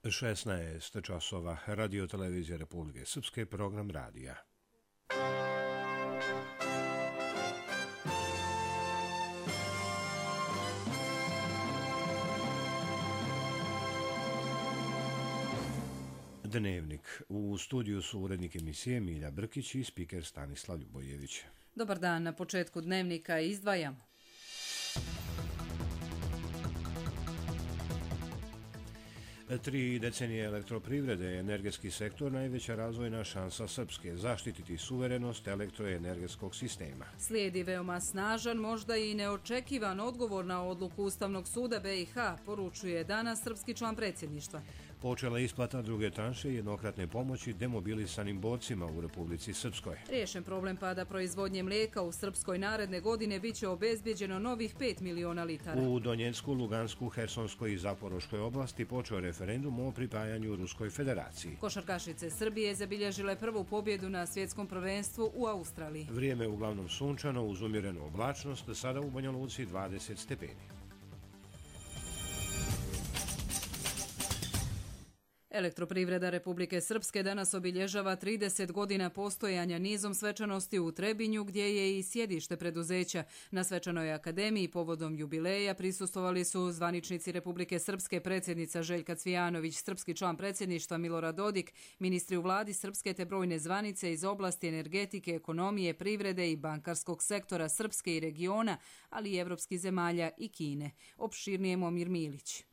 16 časova, Radio Televizije Republike Srpske, program radija. Dnevnik. U studiju su urednik emisije Milja Brkić i spiker Stanislav Ljubojević. Dobar dan, na početku dnevnika izdvajamo. Tri decenije elektroprivrede, energetski sektor, najveća razvojna šansa Srpske, zaštititi suverenost elektroenergetskog sistema. Slijedi veoma snažan, možda i neočekivan odgovor na odluku Ustavnog suda BiH, poručuje danas srpski član predsjedništva. Počela isplata druge tranše jednokratne pomoći demobilisanim borcima u Republici Srpskoj. Riješen problem pada proizvodnje mlijeka u Srpskoj, naredne godine biće obezbjeđeno novih 5 miliona litara. U Donjecku, Lugansku, Hersonskoj i Zaporoškoj oblasti počeo referendum o pripajanju Ruskoj federaciji. Košarkašice Srbije zabilježile prvu pobjedu na svjetskom prvenstvu u Australiji. Vrijeme uglavnom sunčano uz umjerenu oblačnost, sada u Banja Luci 20 stepeni. Elektroprivreda Republike Srpske danas obilježava 30 godina postojanja nizom svečanosti u Trebinju, gdje je i sjedište preduzeća. Na svečanoj akademiji povodom jubileja prisustvovali su zvaničnici Republike Srpske, predsjednica Željka Cvijanović, srpski član predsjedništva Milorad Dodik, ministri u vladi Srpske te brojne zvanice iz oblasti energetike, ekonomije, privrede i bankarskog sektora Srpske i regiona, ali i evropskih zemalja i Kine. Opširnije Momir Milić.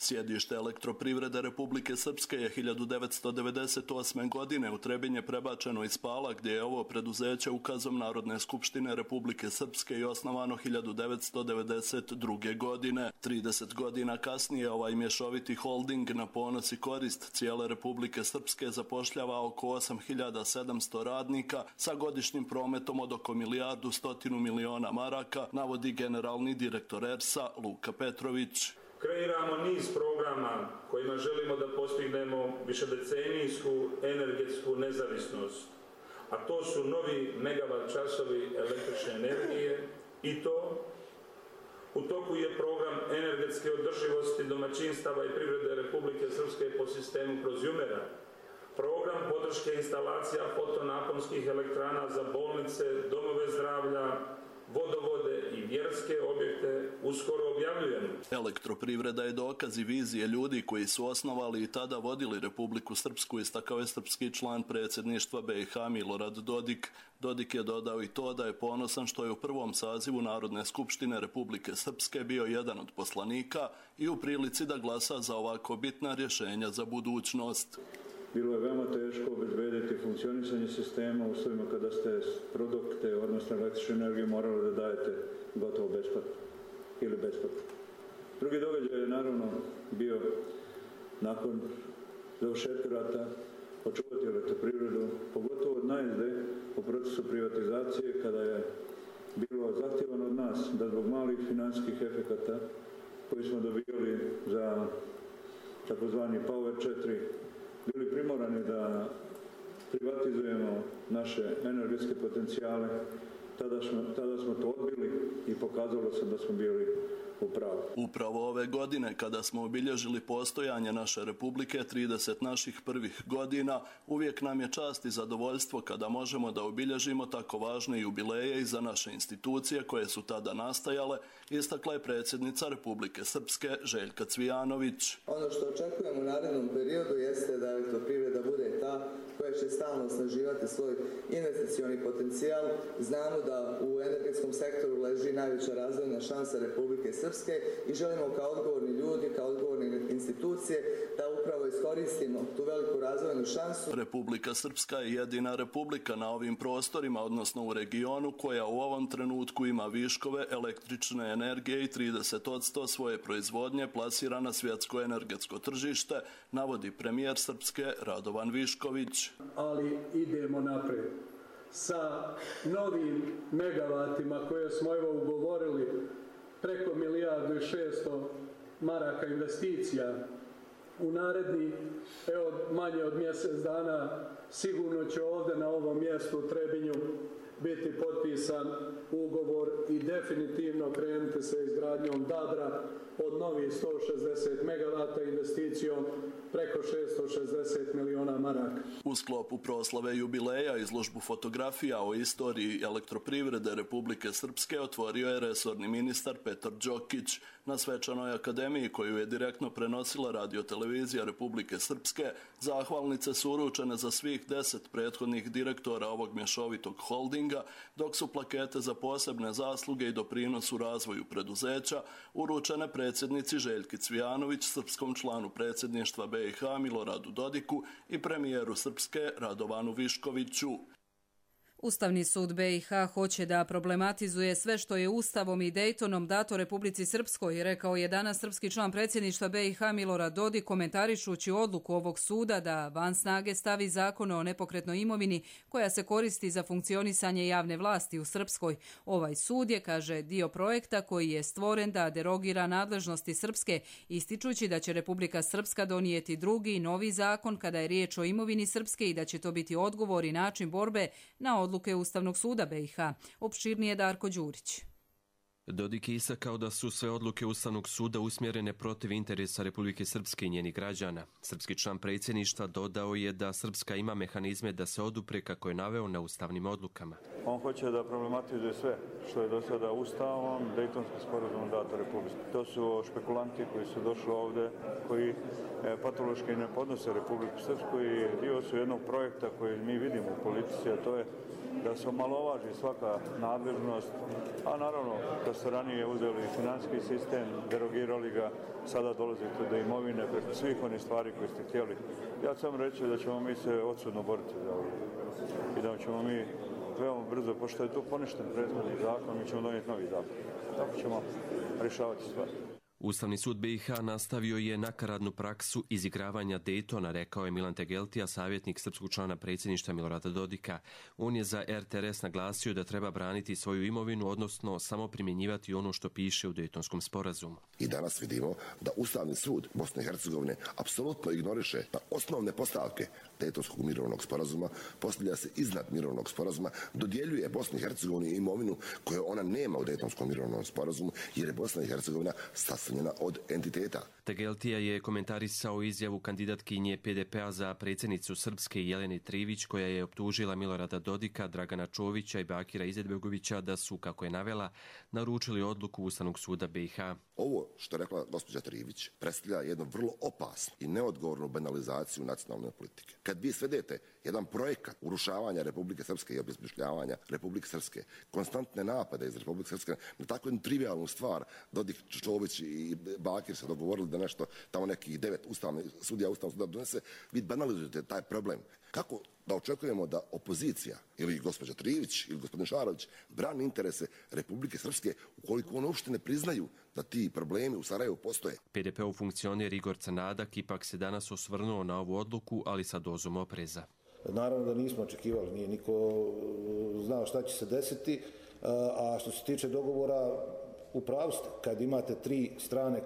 Sjedište elektroprivrede Republike Srpske je 1998. godine u Trebinje prebačeno iz Pala, gdje je ovo preduzeće ukazom Narodne skupštine Republike Srpske i osnovano 1992. godine. 30 godina kasnije ovaj mješoviti holding na ponos i korist cijele Republike Srpske zapošljava oko 8700 radnika sa godišnjim prometom od oko 1.100 miliona maraka, navodi generalni direktor ERS-a Luka Petrović. Kreiramo niz programa kojima želimo da postignemo višedecenijsku energetsku nezavisnost, a to su novi megavat časovi električne energije i to u toku je program energetske održivosti domaćinstava i privrede Republike Srpske po sistemu Prozjumera, program podrške instalacija fotonaponskih elektrana za bolnice, domove zdravlja, vodovode i vjerske objekte uskoro objavljujemo. Elektroprivreda je dokaz i vizije ljudi koji su osnovali i tada vodili Republiku Srpsku, istakao je srpski član predsjedništva BiH Milorad Dodik. Dodik je dodao i to da je ponosan što je u prvom sazivu Narodne skupštine Republike Srpske bio jedan od poslanika i u prilici da glasa za ovako bitna rješenja za budućnost. Bilo je veoma teško obezbediti funkcionisanje sistema u uslovima kada ste produkte, odnosno električnu energiju, morali da dajete gotovo besplatno ili besplatno. Drugi događaj je naravno bio nakon završetka rata očuvati elektroprivredu, pogotovo od najezde u procesu privatizacije, kada je bilo zahtjevano od nas da zbog malih financijskih efekata koji smo dobijali za takozvani Power 4 bili primorani da privatizujemo naše energetske potencijale. Tada smo to odbili i pokazalo se da smo bili u pravu. Upravo ove godine, kada smo obilježili postojanje naše Republike, 30 naših prvih godina, uvijek nam je čast i zadovoljstvo kada možemo da obilježimo tako važne jubileje i za naše institucije koje su tada nastajale, istakla je predsjednica Republike Srpske Željka Cvijanović. Ono što očekujemo u narednom periodu jeste da elektroprivreda bude ta koja će stalno osnaživati svoj investicioni potencijal. Znamo da u energetskom sektoru leži najveća razvojna šansa Republike Srpske i želimo kao odgovorni ljudi, kao odgovorne institucije da upravo iskoristimo tu veliku razvojnu šansu. Republika Srpska je jedina republika na ovim prostorima, odnosno u regionu, koja u ovom trenutku ima viškove električne energije i 30% svoje proizvodnje plasira na svjetsko energetsko tržište, navodi premijer Srpske Radovan Višković. Ali idemo napred sa novim megavatima koje smo ugovorili, preko 1.600.000 maraka investicija. U naredni, manje od mjesec dana, sigurno će ovdje na ovom mjestu u Trebinju biti potpisan ugovor i definitivno krenuti sa izgradnjom Dadra od novih 160 megavata investicija investicijom preko 660 miliona maraka. U sklopu proslave jubileja izložbu fotografija o istoriji elektroprivrede Republike Srpske otvorio je resorni ministar Petar Đokić. Na svečanoj akademiji koju je direktno prenosila radiotelevizija Republike Srpske, zahvalnice su uručene za svih 10 prethodnih direktora ovog mješovitog holdinga, dok su plakete za posebne zasluge i doprinos u razvoju preduzeća uručene predsjednici Željki Cvijanović, srpskom članu predsjedništva BiH Miloradu Dodiku i premijeru Srpske Radovanu Viškoviću. Ustavni sud BiH hoće da problematizuje sve što je Ustavom i Dejtonom dato Republici Srpskoj, rekao je danas srpski član predsjedništva BiH Milorad Dodik komentarišući odluku ovog suda da van snage stavi zakon o nepokretnoj imovini koja se koristi za funkcionisanje javne vlasti u Srpskoj. Ovaj sud je, kaže, dio projekta koji je stvoren da derogira nadležnosti Srpske, ističući da će Republika Srpska donijeti drugi, novi zakon kada je riječ o imovini Srpske i da će to biti odgovor i način borbe na odluke Ustavnog suda BiH. Opširnije Darko Đurić. Dodik je istakao da su sve odluke Ustavnog suda usmjerene protiv interesa Republike Srpske i njenih građana. Srpski član predsjedništva dodao je da Srpska ima mehanizme da se odupre kako je naveo na ustavnim odlukama. On hoće da problematizuje sve što je do sada Ustavom, Dejtonskim sporazumom dato Republike. To su špekulanti koji su došli ovdje, koji patološki ne podnose Republiku Srpsku i dio su jednog projekta koji mi vidimo u politici, a to je da se omalovaži svaka nadležnost, a naravno da ste ranije uzeli financijski sistem, derogirali ga, sada dolazite do imovine preko svih onih stvari koje ste htjeli. Ja ću vam reći da ćemo mi se odsudno boriti za ovo i da ćemo mi veoma brzo, pošto je to poništen prethodni zakon, mi ćemo donijeti novi zakon. Tako ćemo rješavati stvari. Ustavni sud BiH nastavio je nakaradnu praksu izigravanja Dejtona, rekao je Milan Tegeltija, savjetnik srpskog člana predsjedništva Milorada Dodika. On je za RTRS naglasio da treba braniti svoju imovinu, odnosno samo primjenjivati ono što piše u Dejtonskom sporazumu. I danas vidimo da Ustavni sud Bosne i Hercegovine apsolutno ignoriše da osnovne postavke Dejtonskog mirovnog sporazuma, postavlja se iznad mirovnog sporazuma, dodjeljuje Bosni i Hercegovini imovinu koju ona nema u Dejtonskom mirovnom sporazumu, jer je Bosna i Hercegovina sastavljena od entiteta. Tegeltija je komentarisao izjavu kandidatkinje PDP-a za predsjednicu Srpske Jelene Trivić, koja je optužila Milorada Dodika, Dragana Čovića i Bakira Izetbegovića da su, kako je navela, naručili odluku Ustavnog suda BiH. Ovo što je rekla gospođa Trivić predstavlja jednu vrlo opasnu i neodgovornu banalizaciju nacionalne politike. Kad vi svedete jedan projekat urušavanja Republike Srpske i obesmišljavanja Republike Srpske, konstantne napade iz Republike Srpske na takvu jednu trivijalnu stvar, Dodik, Čović i Bakir se dogovorili da nešto tamo nekih 9 sudija Ustavnog suda donese, vi banalizujete taj problem. Kako da očekujemo da opozicija ili gospođa Trivić ili gospodin Šarović brani interese Republike Srpske ukoliko oni uopšte ne priznaju da ti problemi u Sarajevu postoje? PDP-ov funkcioner Igor Canadak ipak se danas osvrnuo na ovu odluku, ali sa dozom opreza. Naravno da nismo očekivali, nije niko znao šta će se desiti, a što se tiče dogovora, u pravu ste, kad imate tri strane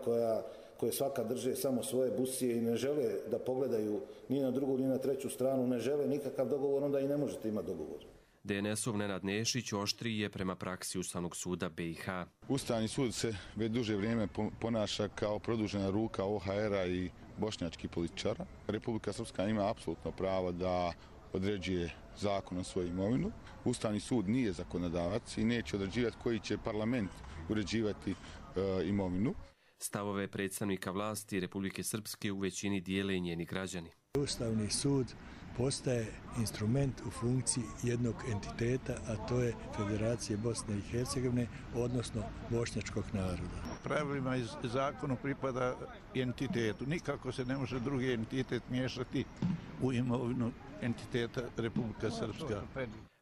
koje svaka drže samo svoje busije i ne žele da pogledaju ni na drugu ni na treću stranu, ne žele nikakav dogovor, onda i ne možete imati dogovor. DNS-ov Nenad Nešić oštriji je prema praksi Ustavnog suda BiH. Ustavni sud se već duže vrijeme ponaša kao produžena ruka OHR-a i bošnjačkih političara. Republika Srpska ima apsolutno pravo da određuje zakon o svoju imovinu. Ustavni sud nije zakonodavac i neće određivati koji će parlament uređivati imovinu. Stavove predstavnika vlasti Republike Srpske u većini dijele i njeni građani. Ustavni sud postaje instrument u funkciji jednog entiteta, a to je Federacije Bosne i Hercegovine, odnosno bošnjačkog naroda. Pravilima iz zakonu pripada entitetu. Nikako se ne može drugi entitet miješati u imovinu entiteta Republika Srpska.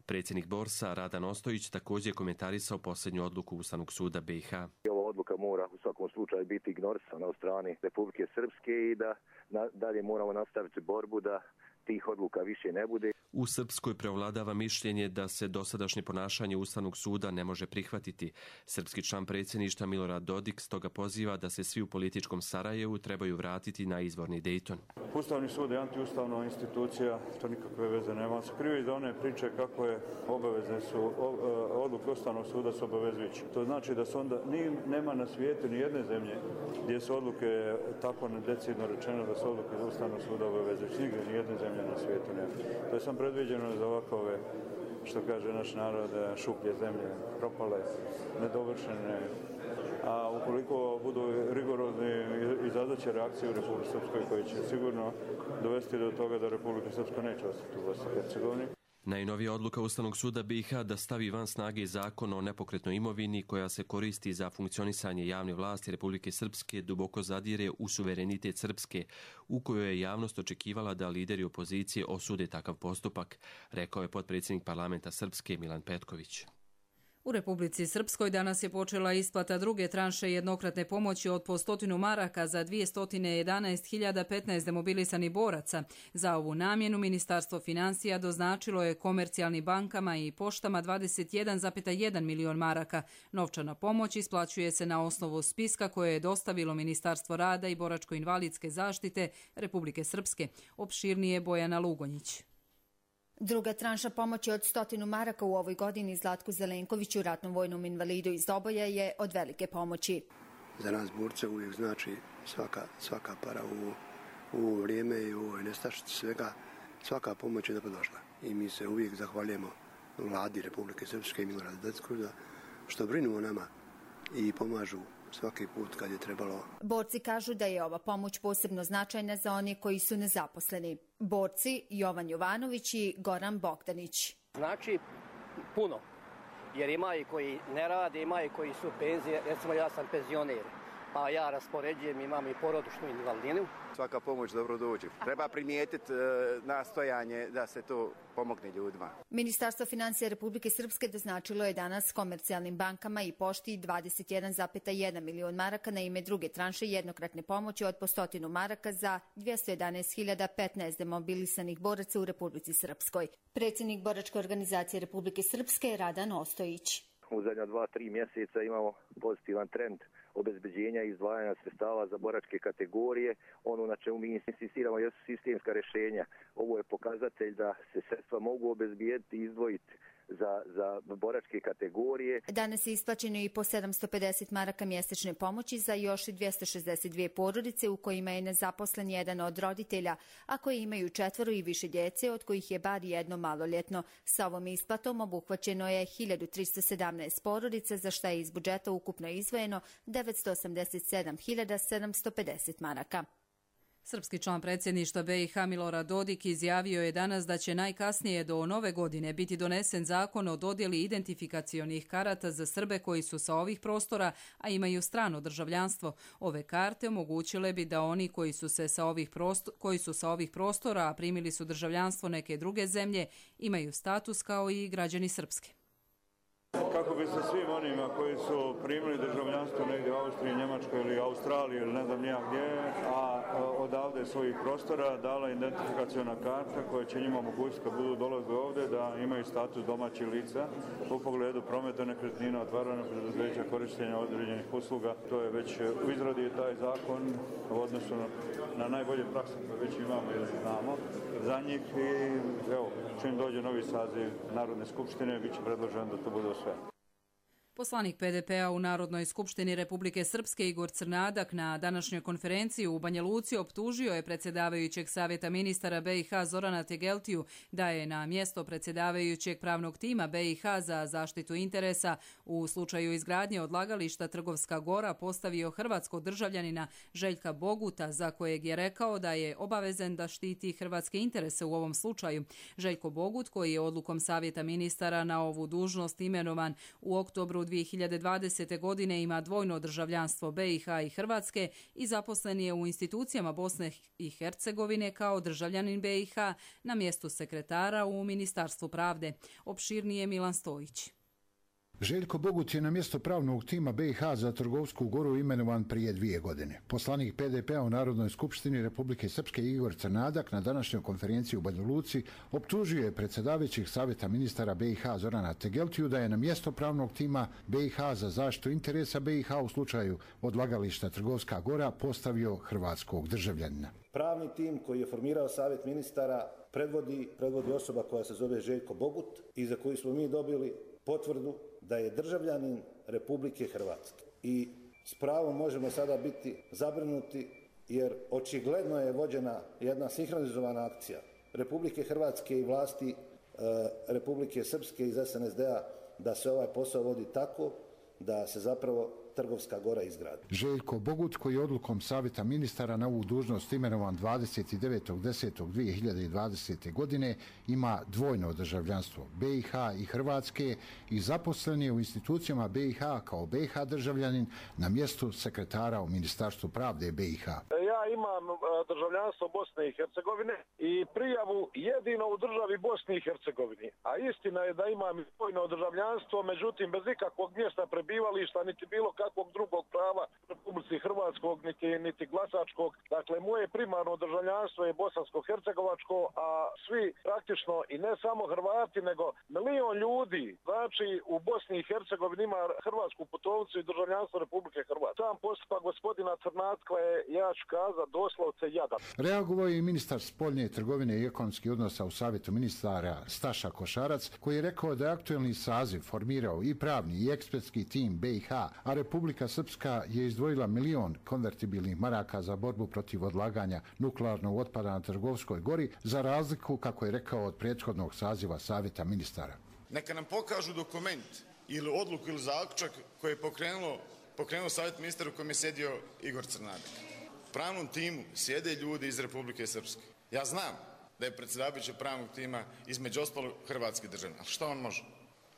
Predsjednik Borsa Radan Ostojić također komentarisao posljednju odluku Ustavnog suda BiH. Ova odluka mora u svakom slučaju biti ignorisana od strane Republike Srpske i da dalje moramo nastaviti borbu da tih odluka više ne bude. U Srpskoj prevladava mišljenje da se dosadašnje ponašanje Ustavnog suda ne može prihvatiti. Srpski član predsjedništva Milorad Dodik stoga poziva da se svi u političkom Sarajevu trebaju vratiti na izvorni Dejton. Ustavni sud je antiustavna institucija, to nikakve veze nema. Skrivi za one priče kako je obavezne su, odluke Ustavnog suda su obavezujuće. To znači da su onda, nema na svijetu ni jedne zemlje gdje su odluke tako decidno rečeno da su odluke Ustavnog suda obavezujuće. Nigdje ni jedne zemlje na svijetu nema. To je sam predviđeno za ovakove, što kaže naš narod, šuplje zemlje, propale, nedovršene. A ukoliko budu rigorozni, izazvaće reakcije u Republike Srpskoj koji će sigurno dovesti do toga da Republika Srpska neće ostati u Bosni i Hercegovini. Najnovija odluka Ustavnog suda BiH da stavi van snage zakon o nepokretnoj imovini koja se koristi za funkcionisanje javne vlasti Republike Srpske duboko zadire u suverenitet Srpske, u kojoj je javnost očekivala da lideri opozicije osude takav postupak, rekao je potpredsjednik parlamenta Srpske Milan Petković. U Republici Srpskoj danas je počela isplata druge tranše jednokratne pomoći od po 100 maraka za 211.015 demobilisanih boraca. Za ovu namjenu Ministarstvo financija doznačilo je komercijalnim bankama i poštama 21,1 milion maraka. Novčana pomoć isplaćuje se na osnovu spiska koje je dostavilo Ministarstvo rada i boračko-invalidske zaštite Republike Srpske. Opširnije Bojana Lugonjić. Druga tranša pomoći od 100 maraka u ovoj godini Zlatku Zelenkoviću, ratnom vojnom invalidu iz Doboja, je od velike pomoći. Za nas borce uvijek znači svaka para u vrijeme i u ovoj nestašici svega, svaka pomoć je dobrodošla. I mi se uvijek zahvaljujemo vladi Republike Srpske i Milorada Dodika što brinu o nama i pomažu svaki put kad je trebalo. Borci kažu da je ova pomoć posebno značajna za one koji su nezaposleni. Borci Jovan Jovanović i Goran Bogdanić. Znači puno, jer ima i koji ne rade, ima i koji su penzije. Recimo ja sam penzioner, pa ja raspoređujem, imam i porodičnu invalidninu. Svaka pomoć dobro dođe. Treba primijetiti nastojanje da se to pomogne ljudima. Ministarstvo financija Republike Srpske doznačilo je danas komercijalnim bankama i pošti 21,1 milion maraka na ime druge tranše jednokratne pomoći od po 100 maraka za 211.015 demobilisanih boraca u Republici Srpskoj. Predsjednik boračke organizacije Republike Srpske Radan Ostojić. U zadnja 2-3 mjeseca imamo pozitivan trend obezbeđenja i izdvajanja sredstava za boračke kategorije. Ono na čemu mi insistiramo jesu sistemska rješenja. Ovo je pokazatelj da se sredstva mogu obezbijediti i izdvojiti za boračke kategorije. Danas je isplaćeno i po 750 maraka mjesečne pomoći za još 262 porodice u kojima je nezaposlen jedan od roditelja, a koji imaju 4 i više djece, od kojih je bar jedno maloljetno. Sa ovom isplatom obuhvaćeno je 1317 porodica, za šta je iz budžeta ukupno izdvojeno 987.750 maraka. Srpski član predsjedništva BiH Milorad Dodik izjavio je danas da će najkasnije do nove godine biti donesen zakon o dodjeli identifikacionih karata za Srbe koji su sa ovih prostora, a imaju strano državljanstvo. Ove karte omogućile bi da oni koji su sa ovih prostora, a primili su državljanstvo neke druge zemlje, imaju status kao i građani Srpske. Kako bi se svim onima koji su primili državljanstvo negdje u Austriji, Njemačkoj ili Australiji ili ne znam nijak gdje, a odavde svojih prostora dala identifikaciona karta koja će njima omogućiti kad budu dolazili ovdje da imaju status domaćih lica u pogledu prometa nekretnina, otvaranja preduzeća, korištenja određenih usluga. To je već u izradi taj zakon u odnosu na najbolje prakse koje već imamo ili znamo za njih i evo, čim dođe novi saziv Narodne skupštine, bit će predloženo da to bude sve. Poslanik PDP-a u Narodnoj skupštini Republike Srpske Igor Crnadak na današnjoj konferenciji u Banja Luci optužio je predsjedavajućeg savjeta ministara BiH Zorana Tegeltiju da je na mjesto predsjedavajućeg pravnog tima BiH za zaštitu interesa u slučaju izgradnje odlagališta Trgovska Gora postavio hrvatskog državljanina Željka Boguta, za kojeg je rekao da je obavezan da štiti hrvatske interese u ovom slučaju. Željko Bogut, koji je odlukom savjeta ministara na ovu dužnost imenovan u oktobru 2020. godine, ima dvojno državljanstvo BiH i Hrvatske i zaposlen je u institucijama Bosne i Hercegovine kao državljanin BiH na mjestu sekretara u Ministarstvu pravde. Opširnije Milan Stojić. Željko Bogut je na mjesto pravnog tima BiH za Trgovsku Goru imenovan prije 2 godine. Poslanik PDP-a u Narodnoj skupštini Republike Srpske Igor Crnadak na današnjoj konferenciji u Banja Luci optužio je predsjedavajućeg savjeta ministara BiH Zorana Tegeltiju da je na mjesto pravnog tima BiH za zaštitu interesa BiH u slučaju odlagališta Trgovska Gora postavio hrvatskog državljanina. Pravni tim koji je formirao savjet ministara predvodi osoba koja se zove Željko Bogut i za koju smo mi dobili potvrdu da je državljanin Republike Hrvatske. I s pravom možemo sada biti zabrinuti jer očigledno je vođena jedna sinhronizovana akcija Republike Hrvatske i vlasti Republike Srpske iz SNSD-a da se ovaj posao vodi tako da se zapravo Trgovska Gora izgradi. Željko Bogut, koji je odlukom savjeta ministara na ovu dužnost imenovan 29.10.2020. godine, ima dvojno državljanstvo BiH i Hrvatske i zaposlen je u institucijama BiH kao BiH državljanin na mjestu sekretara u Ministarstvu pravde BiH. Ja imam državljanstvo Bosne i Hercegovine i prijavu jedino u državi Bosni i Hercegovini. A istina je da imam dvojno državljanstvo, međutim bez ikakvog mjesta prebivališta niti bilo kakvog drugog prava Republici Hrvatskog niti glasačkog. Dakle, moje primarno državljanstvo je bosansko-hercegovačko, a svi praktično i ne samo Hrvati, nego milion ljudi, znači u Bosni i Hercegovini ima hrvatsku putovnicu i državljanstvo Republike Hrvatske. Sam postupak gospodina Crnatka je, ja ću kazati, doslovce jadan. Reagovao je i ministar spoljne trgovine i ekonomskih odnosa u savjetu ministara Staša Košarac, koji je rekao da je aktuelni saziv formirao i pravni i ekspertski tim BiH, a Republika Srpska je izdvojila 1 milion konvertibilnih maraka za borbu protiv odlaganja nuklearnog otpada na Trgovskoj Gori, za razliku, kako je rekao, od prethodnog saziva savjeta ministara. Neka nam pokažu dokument ili odluku ili zaključak koji je pokrenuo savjet ministara u kojem je sjedio Igor Crnadak. U pravnom timu sjede ljudi iz Republike Srpske. Ja znam da je predsjedavajući pravnog tima između ostalog hrvatski državljanin, ali šta on može?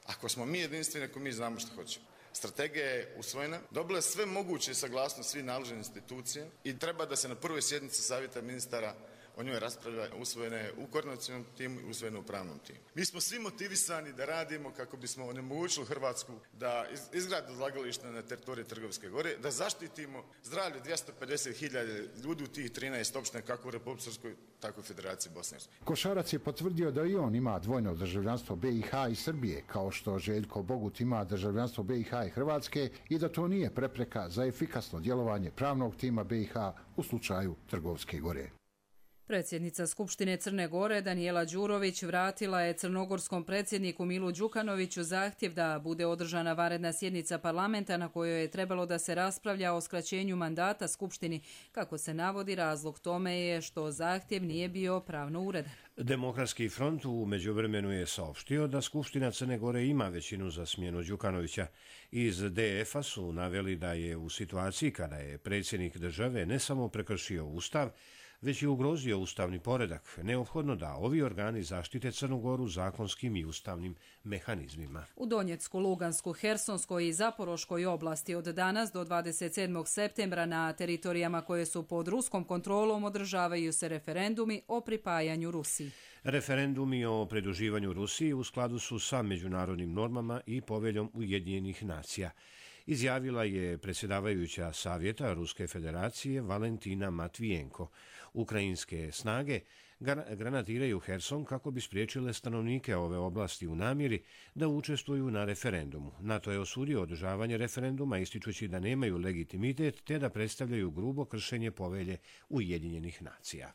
Ako smo mi jedinstveni, ako mi znamo što hoćemo. Strategija je usvojena, dobila je sve moguće saglasnost svih nadležnih institucija i treba da se na prvoj sjednici savjeta ministara o njoj raspravlja, usvojene je u koordinacionom timu i usvojene u pravnom timu. Mi smo svi motivisani da radimo kako bismo onemogućili Hrvatsku da izgradi odlagalište na teritoriji Trgovske Gore, da zaštitimo zdravlje 250.000 ljudi u tih 13 opština kako u Republici Srpskoj, tako i u Federaciji Bosne i Hercegovine. Košarac je potvrdio da i on ima dvojno državljanstvo BiH i Srbije, kao što Željko Bogut ima državljanstvo BiH i Hrvatske i da to nije prepreka za efikasno djelovanje pravnog tima BiH u slučaju Trgovske Gore. Predsjednica Skupštine Crne Gore Danijela Đurović vratila je crnogorskom predsjedniku Milu Đukanoviću zahtjev da bude održana vanredna sjednica parlamenta na kojoj je trebalo da se raspravlja o skraćenju mandata Skupštini. Kako se navodi, razlog tome je što zahtjev nije bio pravno uredan. Demokratski front u međuvremenu je saopštio da Skupština Crne Gore ima većinu za smjenu Đukanovića. Iz DF-a su naveli da je u situaciji kada je predsjednik države ne samo prekršio Ustav, već je ugrozio ustavni poredak, neophodno da ovi organi zaštite Crnu Goru zakonskim i ustavnim mehanizmima. U Donjecku, Lugansku, Hersonskoj i Zaporoškoj oblasti od danas do 27. septembra na teritorijama koje su pod ruskom kontrolom održavaju se referendumi o pripajanju Rusiji. Referendumi o pridruživanju Rusiji u skladu su sa međunarodnim normama i poveljom Ujedinjenih nacija, izjavila je predsjedavajuća Savjeta Ruske federacije Valentina Matvijenko. Ukrajinske snage granatiraju Herson kako bi spriječile stanovnike ove oblasti u namjeri da učestvuju na referendumu. NATO je osudio održavanje referenduma ističući da nemaju legitimitet te da predstavljaju grubo kršenje povelje Ujedinjenih nacija.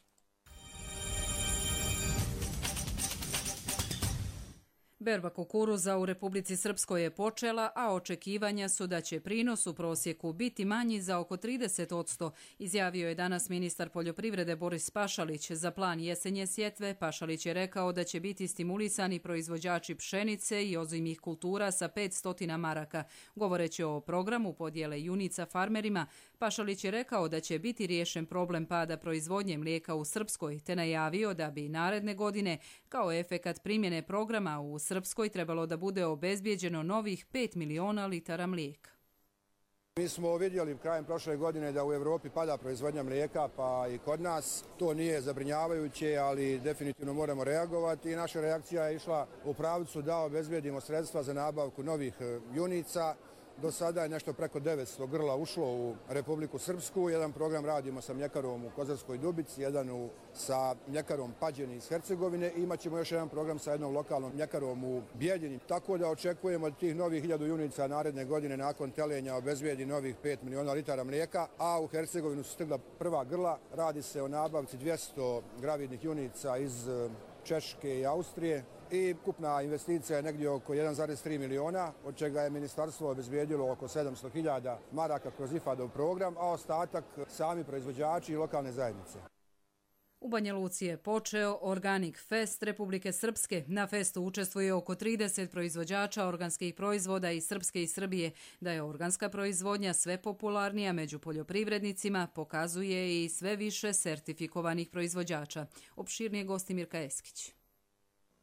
Berba kukuruza u Republici Srpskoj je počela, a očekivanja su da će prinos u prosjeku biti manji za oko 30%, izjavio je danas ministar poljoprivrede Boris Pašalić. Za plan jesenje sjetve Pašalić je rekao da će biti stimulisani proizvođači pšenice i ozimih kultura sa 500 maraka. Govoreći o programu podjele junica farmerima, Pašalić je rekao da će biti riješen problem pada proizvodnje mlijeka u Srpskoj, te najavio da bi naredne godine kao efekat primjene programa u Srpskoj trebalo da bude obezbijeđeno novih 5 miliona litara mlijeka. Mi smo vidjeli krajem prošle godine da u Europi pada proizvodnja mlijeka, pa i kod nas. To nije zabrinjavajuće, ali definitivno moramo reagovati i naša reakcija je išla u pravcu da obezbedimo sredstva za nabavku novih junica. Do sada je nešto preko 900 grla ušlo u Republiku Srpsku. Jedan program radimo sa mljekarom u Kozarskoj Dubici, jedan sa mljekarom Pađeni iz Hercegovine i imat ćemo još jedan program sa jednom lokalnom mljekarom u Bijeljini. Tako da očekujemo od tih novih 1000 junica naredne godine nakon telenja obezbedi novih 5 miliona litara mlijeka, a u Hercegovinu su stigla prva grla. Radi se o nabavci 200 gravidnih junica iz Češke i Austrije. I kupna investicija je negdje oko 1,3 miliona, od čega je ministarstvo obezbijedilo oko 700.000 maraka kroz IFAD-ov program, a ostatak sami proizvođači i lokalne zajednice. U Banja Luci je počeo Organic Fest Republike Srpske. Na festu učestvuje oko 30 proizvođača organskih proizvoda iz Srpske i Srbije. Da je organska proizvodnja sve popularnija među poljoprivrednicima, pokazuje i sve više sertifikovanih proizvođača. Opširnije gosti Mirka Eskić.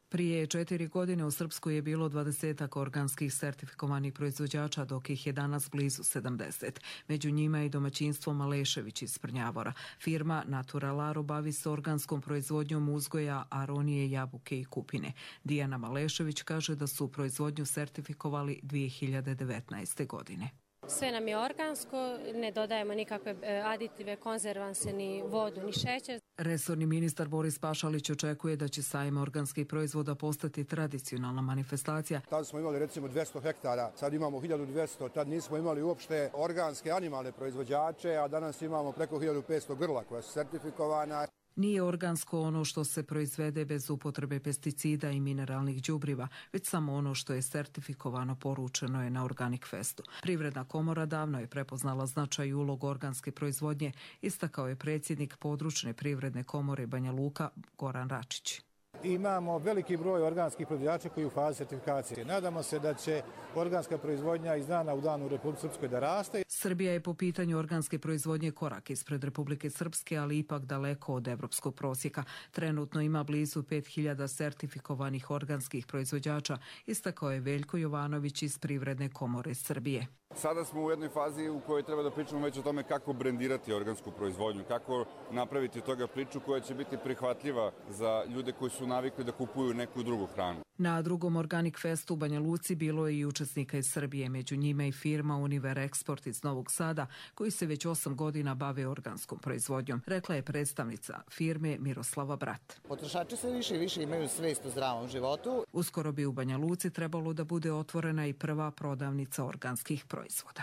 Prije 4 godine u Srpskoj je bilo 20 organskih sertifikovanih proizvođača, dok ih je danas blizu 70. Među njima je i domaćinstvo Malešević iz Prnjavora. Firma Naturalaro bavi se organskom proizvodnjom uzgoja aronije, jabuke i kupine. Dijana Malešević kaže da su proizvodnju sertifikovali 2019. godine. Sve nam je organsko, ne dodajemo nikakve aditive, konzervanse, ni vodu, ni šećer. Resorni ministar Boris Pašalić očekuje da će sajam organskih proizvoda postati tradicionalna manifestacija. Tad smo imali recimo 200 hektara, sad imamo 1200, tad nismo imali uopšte organske animalne proizvođače, a danas imamo preko 1500 grla koja su sertifikovana. Nije organsko ono što se proizvede bez upotrebe pesticida i mineralnih đubriva, već samo ono što je sertifikovano, poručeno je na Organic Festu. Privredna komora davno je prepoznala značaj i ulogu organske proizvodnje, istakao je predsjednik područne privredne komore Banja Luka Goran Račić. Imamo veliki broj organskih proizvođača koji u fazi sertifikacije. Nadamo se da će organska proizvodnja iz dana u dan u Republici Srpskoj da raste. Srbija je po pitanju organske proizvodnje korak ispred Republike Srpske, ali ipak daleko od evropskog prosjeka. Trenutno ima blizu 5000 sertifikovanih organskih proizvođača, istakao je Veljko Jovanović iz Privredne komore Srbije. Sada smo u jednoj fazi u kojoj treba da pričamo već o tome kako brendirati organsku proizvodnju, kako napraviti toga priču koja će biti prihvatljiva za ljude koji su navikli da kupuju neku drugu hranu. Na drugom Organic Festu u Banja Luci bilo je i učesnika iz Srbije, među njima i firma Univer Export iz Novog Sada, koji se već 8 godina bave organskom proizvodnjom, rekla je predstavnica firme Miroslava Brat. Potrošači sve više i više imaju svijest o zdravom životu. Uskoro bi u Banja Luci trebalo da bude otvorena i prva prodavnica organskih proizvoda.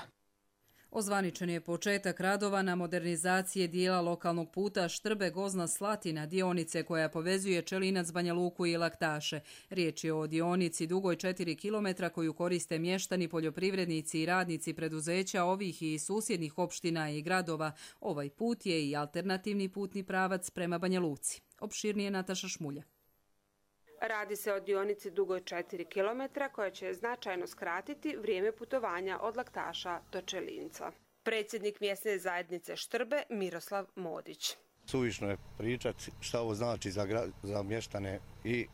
Ozvaničen je početak radova na modernizacije dijela lokalnog puta Štrbe-Gozna-Slatina, dionice koja povezuje Čelinac, Banja Luku i Laktaše. Riječ je o dionici dugoj 4 km koju koriste mještani, poljoprivrednici i radnici preduzeća ovih i susjednih opština i gradova. Ovaj put je i alternativni putni pravac prema Banja Luci. Opširnije Nataša Šmulja. Radi se o dionici dugoj 4 km koja će značajno skratiti vrijeme putovanja od Laktaša do Čelinca. Predsjednik mjesne zajednice Štrbe Miroslav Modić. Suvišno je pričati šta ovo znači za mještane i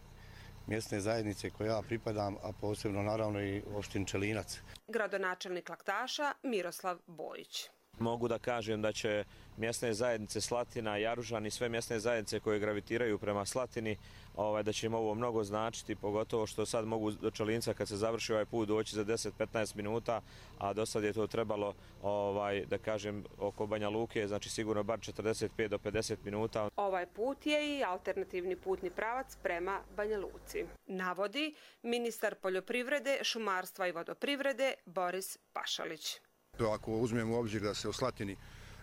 mjesne zajednice koje ja pripadam, a posebno naravno i opštini Čelinac. Gradonačelnik Laktaša Miroslav Bojić. Mogu da kažem da će mjesne zajednice Slatina, Jaružan i sve mjesne zajednice koje gravitiraju prema Slatini, da će im ovo mnogo značiti, pogotovo što sad mogu do Čelinca kad se završi ovaj put doći za 10-15 minuta, a do sad je to trebalo, da kažem, oko Banja Luke, znači sigurno bar 45 do 50 minuta. Ovaj put je i alternativni putni pravac prema Banja Luci, navodi ministar poljoprivrede, šumarstva i vodoprivrede Boris Pašalić. Ako uzmemo u obzir da se u Slatini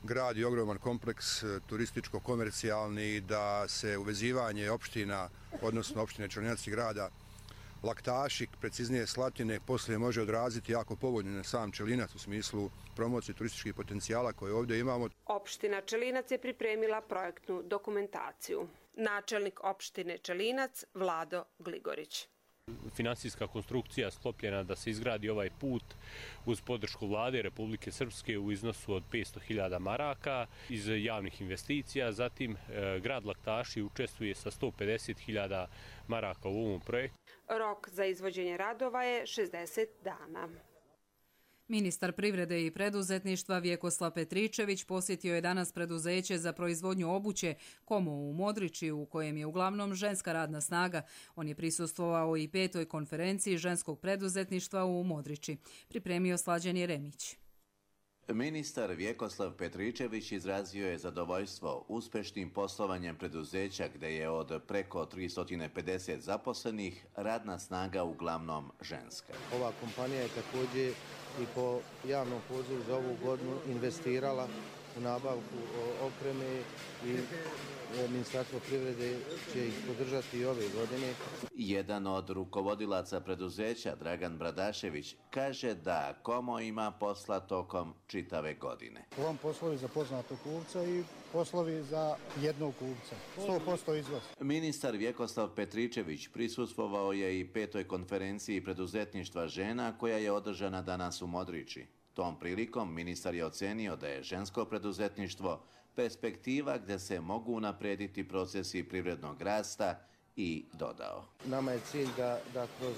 gradi ogroman kompleks turističko-komercijalni, da se uvezivanje opština, odnosno opštine Čelinac i grada Laktaši, preciznije Slatine, poslije može odraziti jako povoljno na sam Čelinac u smislu promocije turističkih potencijala koje ovdje imamo. Opština Čelinac je pripremila projektnu dokumentaciju. Načelnik opštine Čelinac Vlado Gligorić. Finansijska konstrukcija sklopljena da se izgradi ovaj put uz podršku vlade Republike Srpske u iznosu od 500.000 maraka iz javnih investicija. Zatim grad Laktaši učestvuje sa 150.000 maraka u ovom projektu. Rok za izvođenje radova je 60 dana. Ministar privrede i preduzetništva Vjekoslav Petričević posjetio je danas preduzeće za proizvodnju obuće Komo u Modriči, u kojem je uglavnom ženska radna snaga. On je prisustvovao i 5. konferenciji ženskog preduzetništva u Modriči. Pripremio Slađan Jeremić. Ministar Vjekoslav Petričević izrazio je zadovoljstvo uspešnim poslovanjem preduzeća gdje je od preko 350 zaposlenih radna snaga uglavnom ženska. Ova kompanija je također i po javnom pozivu za ovu godinu investirala u nabavku opreme i Ministarstvo privrede će ih podržati i ove godine. Jedan od rukovodilaca preduzeća, Dragan Bradašević, kaže da Komo ima posla tokom čitave godine. Ovom poslovi za poznatog kupca i poslovi za jednog kupca. 100% izvoz. Ministar Vjekoslav Petričević prisustvovao je i 5. konferenciji preduzetništva žena koja je održana danas u Modriči. Tom prilikom ministar je ocenio da je žensko preduzetništvo perspektiva gdje se mogu unaprediti procesi privrednog rasta i dodao. Nama je cilj da kroz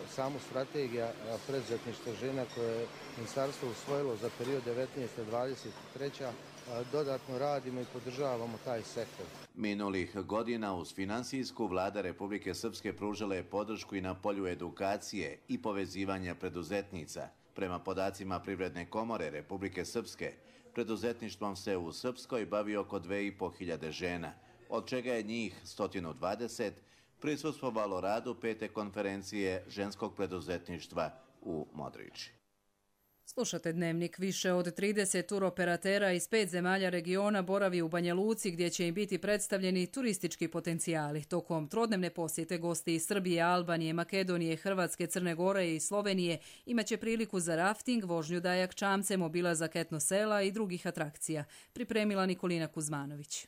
samu strategiju preduzetništva žena koje je ministarstvo usvojilo za period 19-23 dodatno radimo i podržavamo taj sektor. Minulih godina uz finansijsku Vlada Republike Srpske pružila je podršku i na polju edukacije i povezivanja preduzetnica. Prema podacima Privredne komore Republike Srpske, preduzetništvom se u Srpskoj bavi oko 2500 žena, od čega je njih 120 prisustvovalo radu 5. konferencije ženskog preduzetništva u Modriči. Slušate Dnevnik. Više od 30 turoperatera iz 5 zemalja regiona boravi u Banja Luci gdje će im biti predstavljeni turistički potencijali. Tokom trodnevne posjete gosti iz Srbije, Albanije, Makedonije, Hrvatske, Crne Gore i Slovenije imaće priliku za rafting, vožnju dajak čamcem, obilazak etno sela i drugih atrakcija. Pripremila Nikolina Kuzmanović.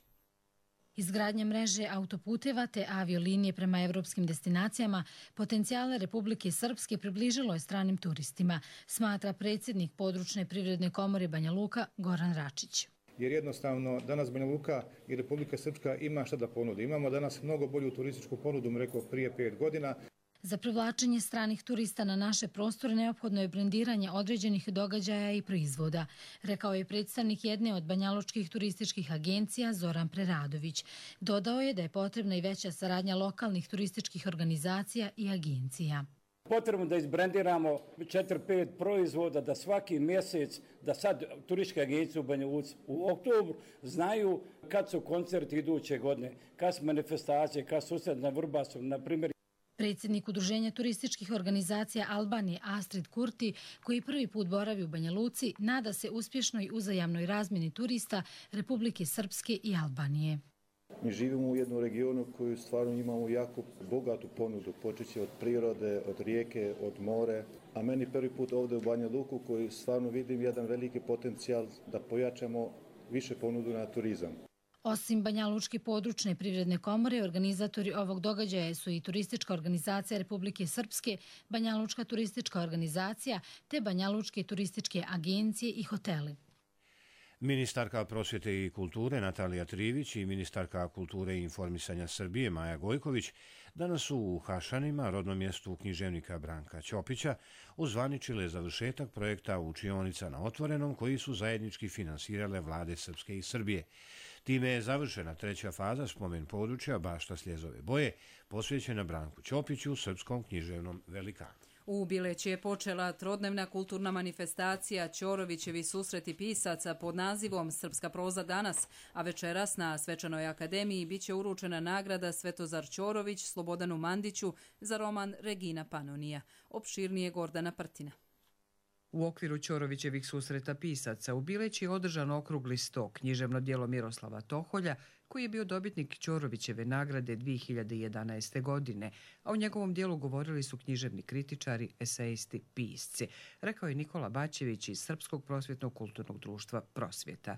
Izgradnja mreže autoputeva te aviolinije prema evropskim destinacijama potencijale Republike Srpske približilo je stranim turistima, smatra predsjednik područne privredne komore Banja Luka Goran Račić. Jer jednostavno danas Banja Luka i Republika Srpska ima šta da ponudi. Imamo danas mnogo bolju turističku ponudu, rekao prije 5 godina. Za privlačenje stranih turista na naše prostore neophodno je brendiranje određenih događaja i proizvoda, rekao je predstavnik jedne od banjalučkih turističkih agencija Zoran Preradović. Dodao je da je potrebna i veća saradnja lokalnih turističkih organizacija i agencija. Potrebno da izbrendiramo 4-5 proizvoda, da svaki mjesec, da sad turističke agencije u Banja Luci u oktobru znaju kad su koncerti iduće godine, kad su manifestacije, kad su susret na Vrbasu, na primjer. Predsjednik Udruženja turističkih organizacija Albanije Astrid Kurti, koji prvi put boravi u Banja Luci, nada se uspješnoj uzajamnoj razmjeni turista Republike Srpske i Albanije. Mi živimo u jednom regionu koju stvarno imamo jako bogatu ponudu, počeći od prirode, od rijeke, od more, a meni prvi put ovdje u Banja Luku koji stvarno vidim jedan veliki potencijal da pojačamo više ponudu na turizam. Osim Banjalučke područne privredne komore, organizatori ovog događaja su i Turistička organizacija Republike Srpske, Banjalučka turistička organizacija te Banjalučke turističke agencije i hoteli. Ministarka prosvjete i kulture Natalija Trivić i ministarka kulture i informisanja Srbije Maja Gojković danas su u Hašanima, rodnom mjestu književnika Branka Ćopića, ozvaničile završetak projekta učionica na otvorenom koji su zajednički finansirale vlade Srpske i Srbije. Time je završena 3. faza spomen područja Bašta Sljezove boje, posvećena Branku Ćopiću, srpskom književnom velikanu. U Bileći je počela trodnevna kulturna manifestacija Ćorovićevi susreti pisaca pod nazivom Srpska proza danas, a večeras na Svečanoj akademiji biće uručena nagrada Svetozar Ćorović Slobodanu Mandiću za roman Regina Panonija. Opširnije Gordana Prtina. U okviru Ćorovićevih susreta pisaca u Bileći je održan okrugli sto, književno djelo Miroslava Toholja, koji je bio dobitnik Ćorovićeve nagrade 2011. godine, a u njegovom dijelu govorili su književni kritičari, esejisti, pisci, rekao je Nikola Bačević iz Srpskog prosvjetnog kulturnog društva Prosvjeta.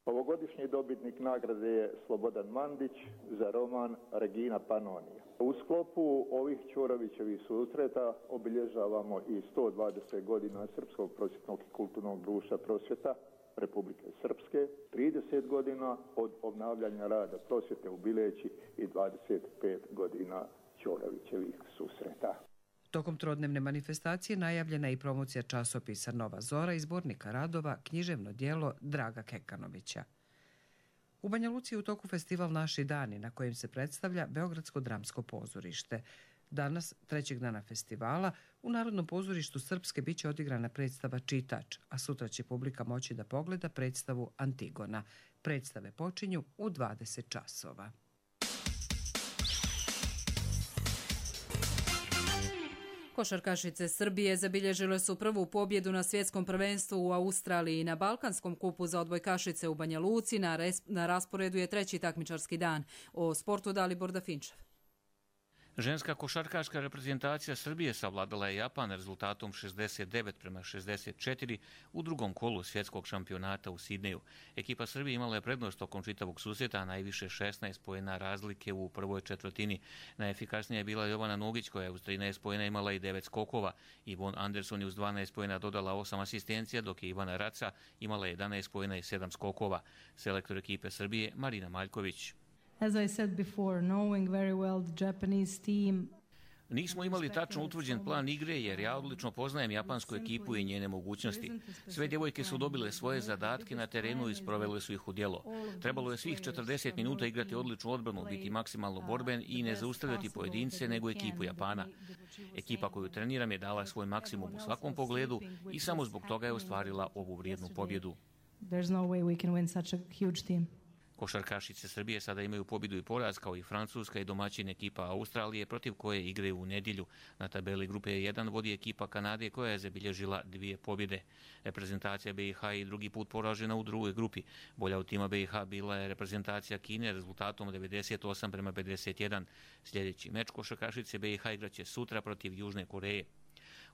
Ovogodišnji dobitnik nagrade je Slobodan Mandić za roman Regina Panonija. U sklopu ovih Ćorovićevih susreta obilježavamo i 120 godina Srpskog prosvjetnog i kulturnog društva Prosvjeta Republike Srpske, 30 godina od obnavljanja rada prosvjete u Bileći i 25 godina Ćorovićevih susreta. Tokom trodnevne manifestacije najavljena je i promocija časopisa Nova Zora i zbornika radova književno djelo Draga Kekanovića. U Banja Luci je u toku festival Naši dani na kojem se predstavlja Beogradsko dramsko pozorište. Danas, trećeg dana festivala, u Narodnom pozorištu Srpske biće odigrana predstava Čitač, a sutra će publika moći da pogleda predstavu Antigona. Predstave počinju u 20 časova. Košarkašice Srbije zabilježile su prvu pobjedu na svjetskom prvenstvu u Australiji. Na Balkanskom kupu za odbojkašice u Banja Luci na rasporedu je treći takmičarski dan. O sportu Dalibor Dafinčev. Ženska košarkaška reprezentacija Srbije savladala je Japan rezultatom 69-64 u drugom kolu svjetskog šampionata u Sidneju. Ekipa Srbije imala je prednost tokom čitavog susreta, a najviše 16 poena razlike u prvoj četvrtini. Najefikasnija je bila Jovana Nugić, koja je uz 13 poena imala i 9 skokova. Ivon Anderson je uz 12 poena dodala 8 asistencija, dok je Ivana Raca imala 11 poena i 7 skokova. Selektor ekipe Srbije Marina Maljković. As I said before, knowing very well the Japanese team. Nismo imali tačno utvrđen plan igre jer ja odlično poznajem japansku ekipu i njene mogućnosti. Sve djevojke su dobile svoje zadatke na terenu i sprovele su ih u djelo. Trebalo je svih 40 minuta igrati odličnu odbranu, biti maksimalno borben i ne zaustavljati pojedince nego ekipu Japana. Ekipa koju treniram je dala svoj maksimum u svakom pogledu i samo zbog toga je ostvarila ovu vrijednu pobjedu. There's no way we can win such a huge team. Košarkašice Srbije sada imaju pobjedu i poraz kao i Francuska i domaćin ekipa Australije protiv koje igraju u nedjelju. Na tabeli grupe 1 vodi ekipa Kanade koja je zabilježila 2 pobjede. Reprezentacija BiH i drugi put poražena u drugoj grupi. Bolja od tima BiH bila je reprezentacija Kine rezultatom 98-51. Sljedeći meč košarkašice BiH igraće sutra protiv Južne Koreje.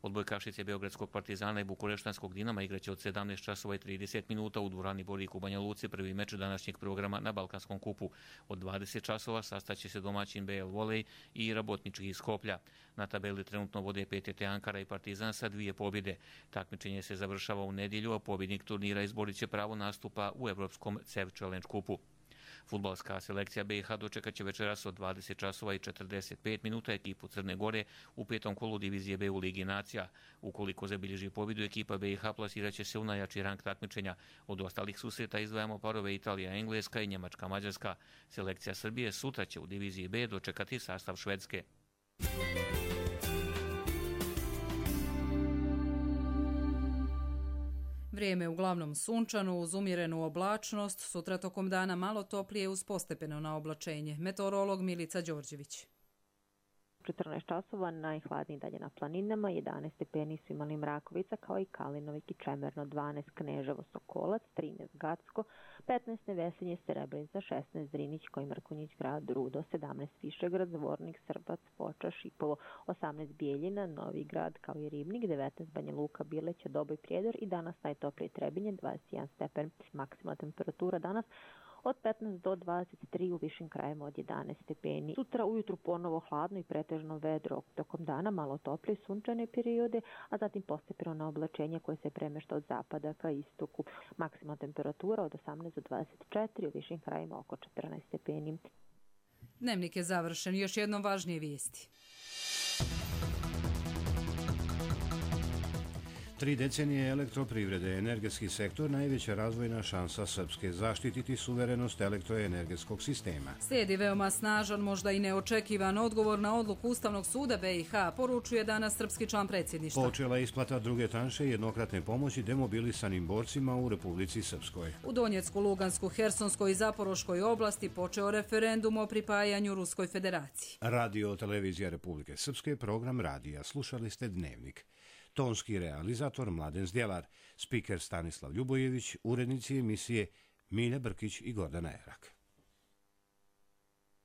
Odbojkašice Beogradskog Partizana i Bukureštanskog Dinama igraće od 17 časova i 30 minuta u dvorani Borik u Banja Luci prvi meč današnjeg programa na Balkanskom kupu. Od 20 časova sastaće se domaćin BL Volej i Rabotnički iz Skoplja. Na tabeli trenutno vode PTT Ankara i Partizan sa 2 pobjede. Takmičenje se završava u nedjelju, a pobjednik turnira izborit će pravo nastupa u Evropskom CEV Challenge kupu. Fudbalska selekcija BiH dočekat će večeras od 20 časova i 45 minuta ekipu Crne Gore u 5. kolu divizije B u Ligi nacija. Ukoliko zabilježi pobjedu, ekipa BiH plasirat će se u najjači rang takmičenja. Od ostalih susreta izdvajamo parove Italija-Engleska i Njemačka-Mađarska. Selekcija Srbije sutra će u diviziji B dočekati sastav Švedske. Vrijeme uglavnom sunčano uz umjerenu oblačnost, sutra tokom dana malo toplije uz postepeno na oblačenje. Meteorolog Milica Đorđević. 14 časova, najhladniji dalje na planinama, 11 stepeni su imali Mrakovica kao i Kalinovik i Čemerno, 12 Kneževo Sokolac, 13 Gacko, 15 Nevesinje Srebrenica, 16 Zrinić koji Mrkonjić grad Rudo, 17 Višegrad, Zvornik, Srbac, Foča, Šipovo, 18 Bijeljina, Novi grad kao i Ribnik, 19 Banja Luka, Bileća, Doboj, Prijedor i danas najtoplije Trebinje, 21 stepen, maksimalna temperatura danas od 15 do 23 u višim krajevima od 11 stepeni. Sutra ujutru ponovo hladno i pretežno vedro. Tokom dana malo toplije sunčane periode, a zatim postepeno na oblačenje koje se premješta od zapada ka istoku. Maksimalna temperatura od 18 do 24 u višim krajevima oko 14 stepeni. Dnevnik je završen. Još jednom važnije vijesti. 3 decenije elektroprivrede, energetski sektor, najveća razvojna šansa Srpske, zaštititi suverenost elektroenergetskog sistema. Slijedi veoma snažan, možda i neočekivan odgovor na odluku Ustavnog suda BiH, poručuje danas srpski član predsjedništva. Počela je isplata druge tranše jednokratne pomoći demobilisanim borcima u Republici Srpskoj. U Donjecku, Lugansku, Hersonskoj i Zaporoškoj oblasti počeo referendum o pripajanju Ruskoj federaciji. Radio Televizija Republike Srpske, program radija. Slušali ste Dnevnik. Tonski realizator Mladen Zdjelar, spiker Stanislav Ljubojević, urednici emisije Milja Brkić i Gordana Erak.